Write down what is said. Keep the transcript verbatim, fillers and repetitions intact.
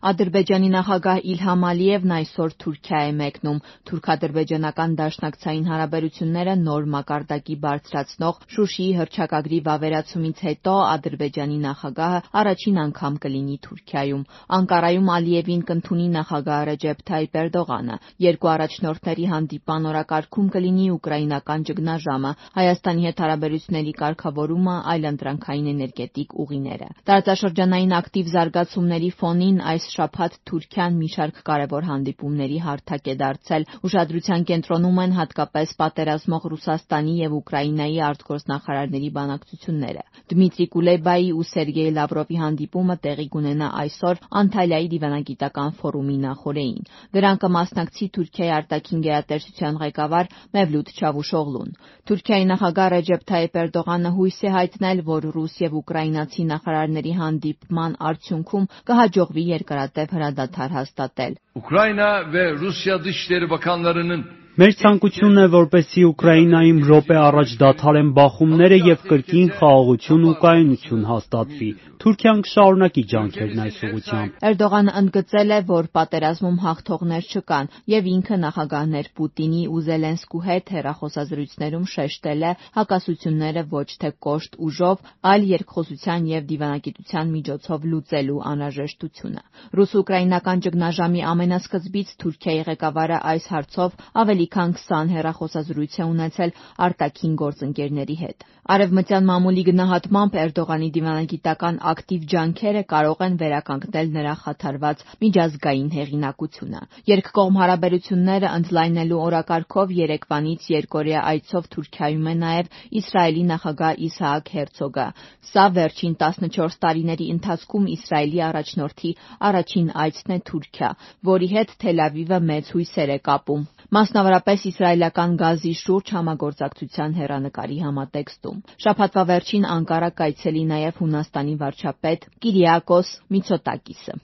Ադրբեջանի նախագահ Իլհամ Ալիևն այսօր Թուրքիա է մեկնում։ Թուրք-ադրբեջանական դաշնակցային հարաբերությունները նոր մակարդակի բարձրացնող Շուշիի հռչակագրի վավերացումից հետո Ադրբեջանի նախագահը առաջին անգամ կլինի Թուրքիայում։ Անկարայում Ալիևին կընդունի նախագահ Ռեջեփ Թայիփ Էրդողանը։ Երկու առաջնորդների հանդիպման օրակարգում կլինի ուկրաինական ճգնաժամը, Հայաստանի հետ հարաբերությունների կարգավորումը, այլընտրանքային էներգետիկ ուղիները։ Տարածաշրջանային ակտիվ զարգացումների ֆոնին այս շաբաթ Թուրքիան մի շարք կարևոր հանդիպումների հարթակ է դարձել։ Ուշադրության կենտրոնում են հատկապես պատերազմող Ռուսաստանի եւ Ուկրաինայի արտգործնախարարների բանակցությունները։ Դմիտրի Կուլեբայի ու Սերգեյ Լավրովի հանդիպումը տեղի կունենա այսօր Անտալիայի դիվանագիտական ֆորումի նախօրեին։ Դրան կմասնակցի Թուրքիայի արտաքին գերատեսչության ղեկավար Մևլութ Չավուշօղլուն։ Թուրքիայի նախագահ Ռեջեփ Թայիփ Էրդողանը հույս է հայտնել, որ ռուս եւ ուկրաինացի նախարարների հանդիպման արդյունքում կհաջողվի երկարատև հրադադար հաստատել։ Ukrayna ve Rusya Dışişleri Bakanlarının Մեր ցանկությունն է, որպեսզի Ուկրաինայում րոպե առաջ դադարեն բախումները եւ կրկին խաղաղություն ու կայունություն հաստատվի։ Թուրքիան կշարունակի ջանքերն այս ուղղությամբ։ Էրդողանը ընդգծել է, որ պատերազմում հաղթողներ չկան եւ ինքը նախագահներ Պուտինի ու Զելենսկու հետ հեռախոսազրույցներում շեշտել է հակասությունները ոչ թե կոշտ ուժով, այլ երկխոսության եւ դիվանագիտության միջոցով լուծելու անհրաժեշտությունը։ Ռուս-ուկրաինական ճգնաժամի ամենասկզբից Թուրքիայի ղեկավարը այս հարցով ավելի քան քսան հեռախոսազրույց է ունեցել արտաքին գործընկերների հետ։ Արևմտյան մամուլի գնահատմամբ Էրդողանի դիվանագիտական ակտիվ ջանքերը կարող են վերականգնել նրա խաթարված միջազգային հեղինակությունը։ Երկկողմ հարաբերությունները ընդլայնելու օրակարգով երեկվանից երկօրյա այցով Թուրքիայում է նաև Իսրայելի նախագահ Իսահակ Հերցոգը։ Սա վերջին տասնչորս տարիների ընթացքում Իսրայելի առաջնորդի առաջին այցն է Թուրքիա, որի հետ Թել Ավիվը մեծ հույսեր է կապում, մասնավորապես իսրայելական գազի շուրջ համագործակցության հեռանկարի համատեքստում։ Շաբաթվա վերջին Անկարա կայցելի նաև Հունաստանի վարչապետ Կիրիակոս Միցոտակիսը։